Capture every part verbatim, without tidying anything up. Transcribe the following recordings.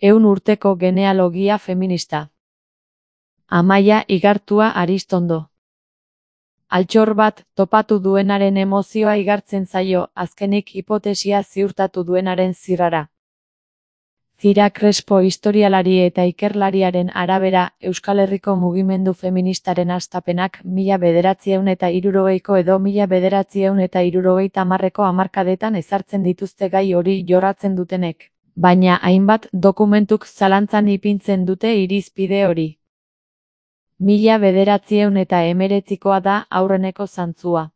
Ehun urteko genealogia feminista. Amaia Igartua Aristondo. Altxor bat topatu duenaren emozioa igartzen zaio, azkenik hipotesia ziurtatu duenaren zirrara. Zira Crespo historialari eta ikerlariaren arabera, Euskal Herriko mugimendu feministaren hastapenak mila bederatziehun eta hirurogeiko edo mila bederatziehun eta hirurogeita hamarreko hamarkadetan ezartzen dituzte gai hori jorratzen dutenek, baina hainbat dokumentuk zalantzan ipintzen dute irizpide hori. Mila bederatziehun eta hemeretzikoa da aurreneko zantzua.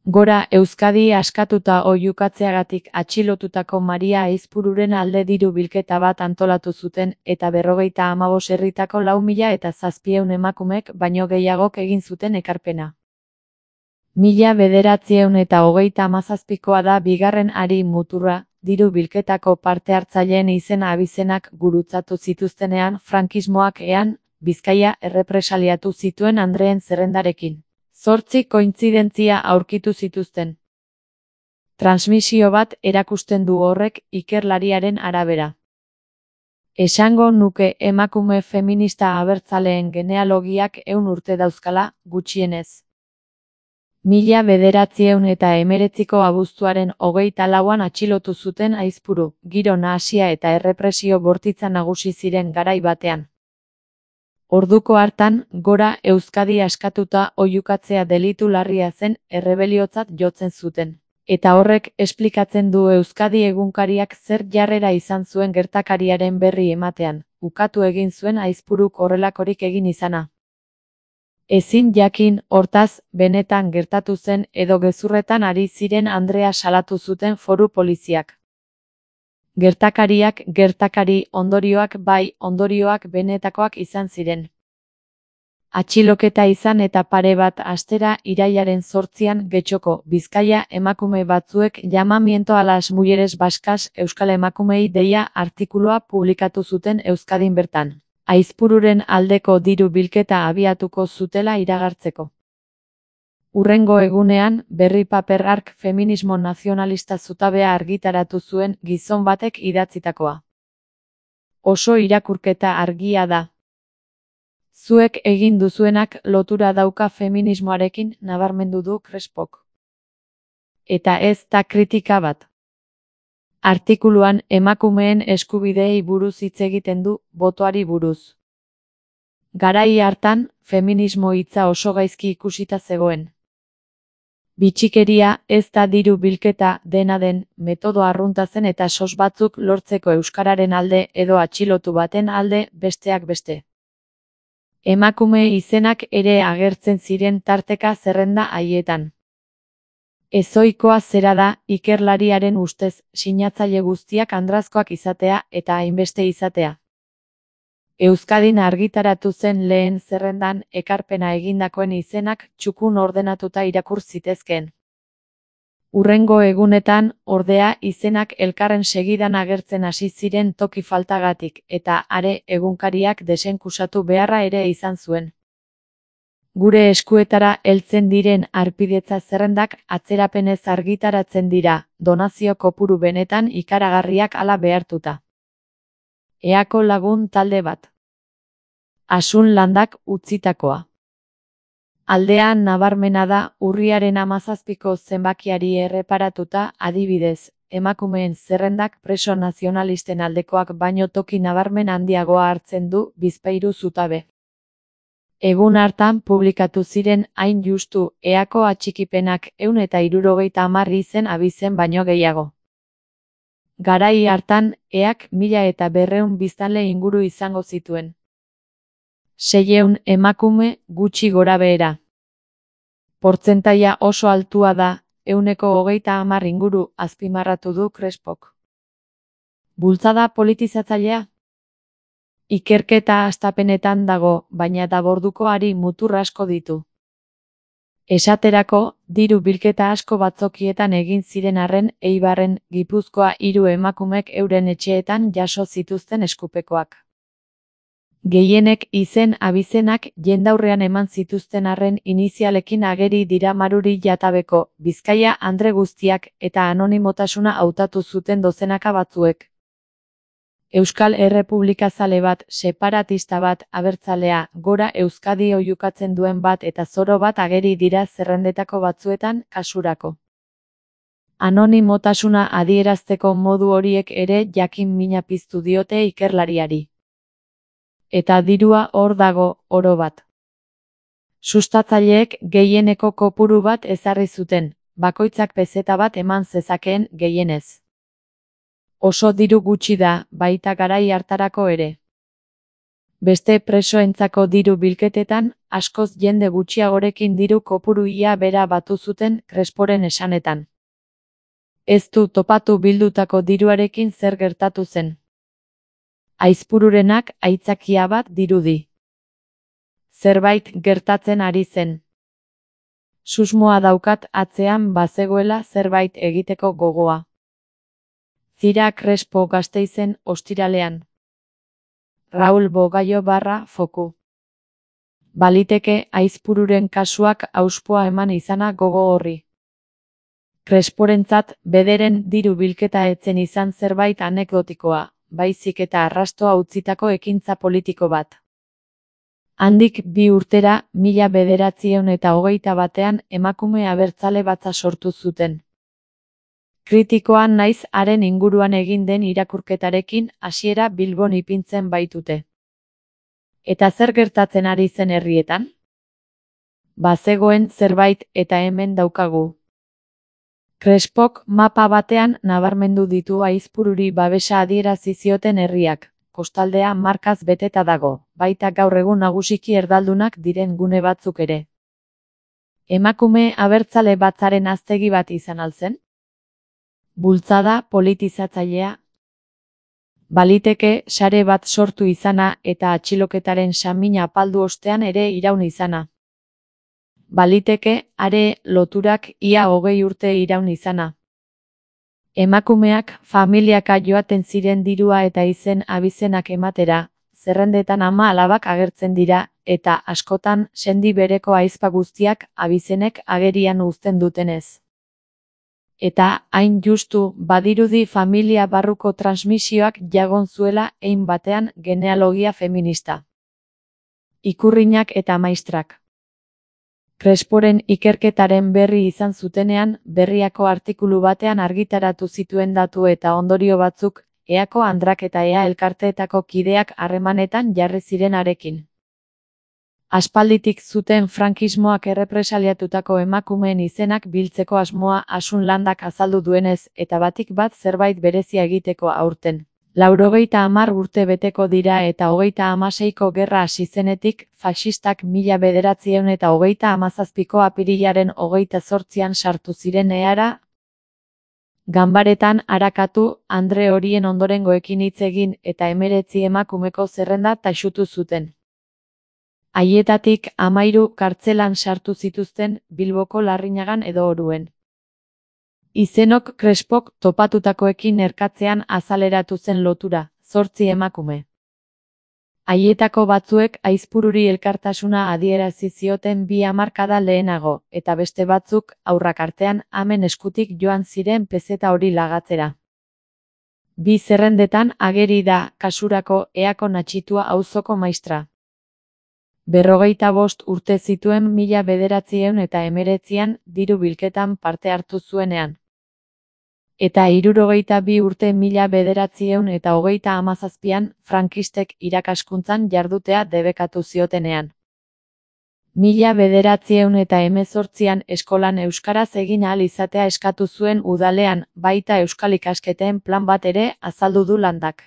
Gora Euskadi askatuta oihukatzeagatik atxilotutako Maria Aizpururen alde diru bilketa bat antolatu zuten eta berrogeita hamabos herritako lau mila eta zazpieun emakumek baino gehiagok egin zuten ekarpena. Mila bederatziehun eta hogeita hamazazpikoa da bigarren hari muturra, diru bilketako parte hartzaileen izena abizenak gurutzatu zituztenean frankismoak ean, Bizkaia errepresaliatu zituen andreen zerrendarekin. Zortzi kointzidentzia aurkitu zituzten. Transmisio bat erakusten du horrek ikerlariaren arabera. Esango nuke emakume feminista abertzaleen genealogiak ehun urte dauzkala, gutxienez. Mila bederatziehun eta hemeretziko abuztuaren hogeita lauan atxilotu zuten Aizpuru, giro nahasia eta errepresio bortitza nagusi ziren garai batean. Orduko hartan, gora Euskadi askatuta oihukatzea delitu larria zen errebeliotzat jotzen zuten. Eta horrek esplikatzen du Euskadi egunkariak zer jarrera izan zuen gertakariaren berri ematean, ukatu egin zuen Aizpuruk horrelakorik egin izana. Ezin jakin, hortaz, benetan gertatu zen edo gezurretan ari ziren andrea salatu zuten foru poliziak. Gertakariak gertakari, ondorioak bai, ondorioak benetakoak izan ziren. Atxiloketa izan eta pare bat astera irailaren zortzian Getxoko, Bizkaia emakume batzuek llamamiento a las mujeres vascas Euskal Emakumei deia artikulua publikatu zuten Euskadin bertan. Aizpururen aldeko diru bilketa abiatuko zutela iragartzeko. Urrengo egunean, berri paper hark feminismo nazionalista zutabea argitaratu zuen gizon batek idatzitakoa. Oso irakurketa argia da. Zuek egin duzuenak lotura dauka feminismoarekin, nabarmendu du Crespok. Eta ez da kritika bat. Artikuluan emakumeen eskubideei buruz hitz egiten du, botoari buruz. Garai hartan, feminismo hitza oso gaizki ikusita zegoen. Bitxikeria ez da diru bilketa dena den, metodo arrunta zen eta sos batzuk lortzeko euskararen alde edo atxilotu baten alde besteak beste. Emakume izenak ere agertzen ziren tarteka zerrenda haietan. Ezoikoa zera da, ikerlariaren ustez, sinatzaile guztiak andrazkoak izatea eta hainbeste izatea. Euskadin argitaratu zen lehen zerrendan ekarpena egindakoen izenak txukun ordenatuta irakur zitezkeen. Urrengo egunetan, ordea, izenak elkarren segidan agertzen hasi ziren toki faltagatik eta are egunkariak desenkusatu beharra ere izan zuen. Gure eskuetara heltzen diren harpidetza zerrendak atzerapenez argitaratzen dira, donazio kopuru benetan ikaragarriak hala behartuta. Eako lagun talde bat. Asun landak utzitakoa. Aldean nabarmena da, urriaren hamazazpiko zenbakiari erreparatuta, adibidez, emakumeen zerrendak preso nazionalisten aldekoak baino toki nabarmen handiagoa hartzen du Bizpahiru zutabe. Egun hartan publikatu ziren hain justu eako atxikipenak ehun eta hirurogeita hamar izen abizen baino gehiago. Garai hartan, eak mila eta berreun biztanle inguru izango zituen. Seiehun emakume gutxi gorabehera. Portzentaia oso altua da, ehuneko hogeita hamar inguru azpimarratu du Crespok. Bultzada politizatzailea? Ikerketa hastapenetan dago, baina daborduko hari mutur asko ditu. Esaterako, diru bilketa asko batzokietan egin ziren arren, Eibarren, Gipuzkoa hiru emakumek euren etxeetan jaso zituzten eskupekoak. Gehienek izen abizenak jendaurrean eman zituzten arren inizialekin ageri dira Maruri Jatabeko, Bizkaia andre guztiak eta anonimotasuna hautatu zuten dozenaka batzuek. Euskal Errepublikazale bat, separatista bat, abertzalea, gora Euskadi oihukatzen duen bat eta zoro bat ageri dira zerrendetako batzuetan, kasurako. Anonimotasuna adierazteko modu horiek ere jakin mina piztu diote ikerlariari. Eta dirua hor dago, oro bat. Sustatzaileek gehieneko kopuru bat ezarri zuten, bakoitzak pezeta bat eman zezakeen gehienez. Oso diru gutxi da, baita garai hartarako ere. Beste presoentzako diru bilketetan, askoz jende gutxiagorekin diru kopuru ia bera batu zuten Cresporen esanetan. Ez du topatu bildutako diruarekin zer gertatu zen. Aizpururenak aitzakia bat dirudi. Zerbait gertatzen ari zen. Susmoa daukat atzean bazegoela zerbait egiteko gogoa. Zira Crespo Gasteizen ostiralean. Raul Bogaio barra foku. Baliteke Aizpururen kasuak auspoa eman izana gogo horri. Cresporentzat bederen diru bilketa etzen izan zerbait anekdotikoa, baizik eta arrastoa utzitako ekintza politiko bat. Handik bi urtera, mila bederatziehun eta hogeita batean emakume abertzale batza sortu zuten. Kritikoan naiz haren inguruan egin den irakurketarekin hasiera Bilbon ipintzen baitute. Eta zer gertatzen ari zen herrietan? Bazegoen zerbait eta hemen daukagu. Crespok mapa batean nabarmendu ditu Aizpururi babesa adierazi zioten herriak, kostaldea markaz beteta dago, baita gaur egun nagusiki erdaldunak diren gune batzuk ere. Emakume abertzale batzaren haztegi bat izan alzen? Bultzada politizatzailea. Baliteke sare bat sortu izana eta atxiloketaren samina apaldu ostean ere iraun izana. Baliteke are loturak ia hogei urte iraun izana. Emakumeak familiaka joaten ziren dirua eta izen abizenak ematera, zerrendetan ama alabak agertzen dira, eta askotan sendi bereko ahizpa guztiak abizenek agerian uzten dutenez. Eta hain justu badirudi familia barruko transmisioak jagon zuela hein batean genealogia feminista. Ikurrinak eta maistrak. Cresporen ikerketaren berri izan zutenean, Berriako artikulu batean argitaratu zituen datu eta ondorio batzuk, Eako andrak eta Ea elkarteetako kideak harremanetan jarri zirenarekin. Aspalditik zuten frankismoak errepresaliatutako emakumeen izenak biltzeko asmoa Asun Landak azaldu duenez, eta batik bat zerbait berezia egiteko aurten. Laurogeita hamar urte beteko dira eta hogeita hamaseiko gerra hasi zenetik, faxistak mila bederatziehun eta hogeita hamazazpiko apirilaren hogeita zortzian sartu ziren Eara. Ganbaretan arakatu, andre horien ondorengoekin hitz egin eta hemeretzi emakumeko zerrenda taxutu zuten. Haietatik hamairu kartzelan sartu zituzten Bilboko Larrinagan edo Oruen. Izenok Crespok topatutakoekin erkatzean azaleratu zen lotura, zortzi emakume. Haietako batzuek Aizpururi elkartasuna adierazi zioten bi hamarkada lehenago, eta beste batzuk haurrak artean amen eskutik joan ziren pezeta hori lagatzera. Bi zerrendetan ageri da kasurako Eako Natxitua auzoko maistra. Berrogeita bost urte zituen mila bederatziehun eta hemeretzian diru bilketan parte hartu zuenean. Eta hirurogeita bi urte mila bederatziehun eta hogeita hamazazpian frankistek irakaskuntzan jardutea debekatu ziotenean. Mila bederatziehun eta hemezortzian eskolan euskaraz egin ahal izatea eskatu zuen udalean, baita euskal ikasketen plan bat ere azaldu du Landak.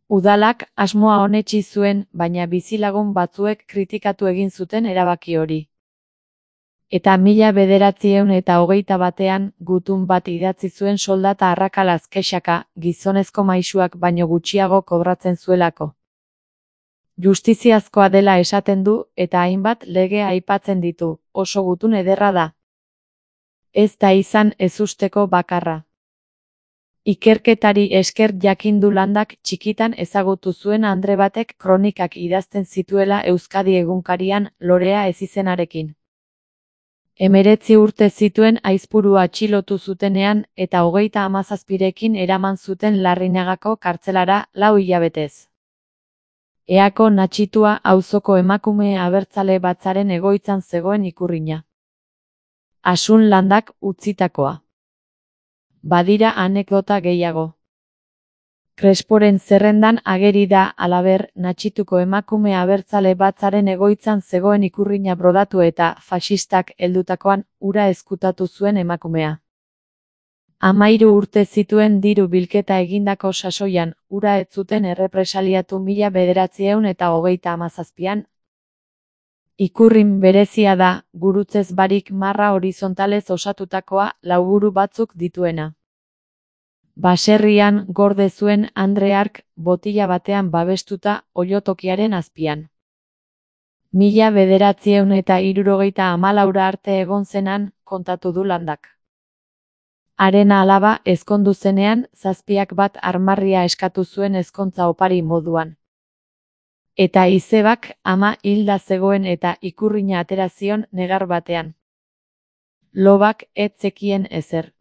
Udalak asmoa onetsi zuen, baina bizilagun batzuek kritikatu egin zuten erabaki hori. Eta mila bederatziehun eta hogeita batean, gutun bat idatzi zuen soldata arrakalaz kexaka, gizonezko maisuak baino gutxiago kobratzen zuelako. Justiziazkoa dela esaten du, eta hainbat lege aipatzen ditu, oso gutun ederra da. Ez da izan ezusteko bakarra. Ikerketari esker jakindu Landak txikitan ezagutu zuen andre batek kronikak idazten zituela Euskadi egunkarian Lorea ezizenarekin. Hemeretzi urte zituen aizpurua atxilotu zutenean eta hogeita hamazazpirekin eraman zuten Larrinagako kartzelara lau hilabetez. Eako Natxitua auzoko emakume abertzale batzaren egoitzan zegoen ikurrina. Asun Landak utzitakoa. Badira anekdota gehiago. Cresporen zerrendan ageri da, halaber, Natxituko emakume abertzale batzaren egoitzan zegoen ikurrina brodatu eta faxistak heldutakoan hura ezkutatu zuen emakumea. Hamahiru urte zituen diru bilketa egindako sasoian, hura ez zuten errepresaliatu mila bederatziehun eta hogeita hamazazpian. Ikurrin berezia da, gurutzez barik marra horizontalez osatutakoa, lauburu batzuk dituena. Baserrian gorde zuen Andre hark, botila batean babestuta, oilotokiaren azpian. Mila bederatziehun eta hirurogeita hamalaura arte egon zenan, kontatu du Landak. Haren alaba ezkondu zenean, zazpiak bat armarria eskatu zuen ezkontza opari moduan. Eta izebak ama hilda zegoen eta ikurrina atera zion negar batean. Lobak ez zekien ezer.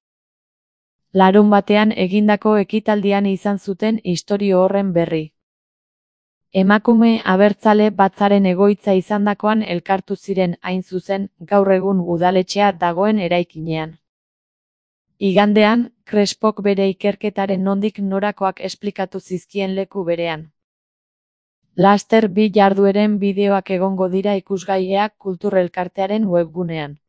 Larun batean egindako ekitaldian izan zuten istorio horren berri. Emakume abertzale batzaren egoitza izandakoan elkartu ziren hain zuzen gaur egun udaletxea dagoen eraikinean. Igandean, Crespok bere ikerketaren nondik norakoak esplikatu zizkien leku berean. Laster bi jardueren bideoak egongo dira ikusgaiak kultur elkartearen webgunean.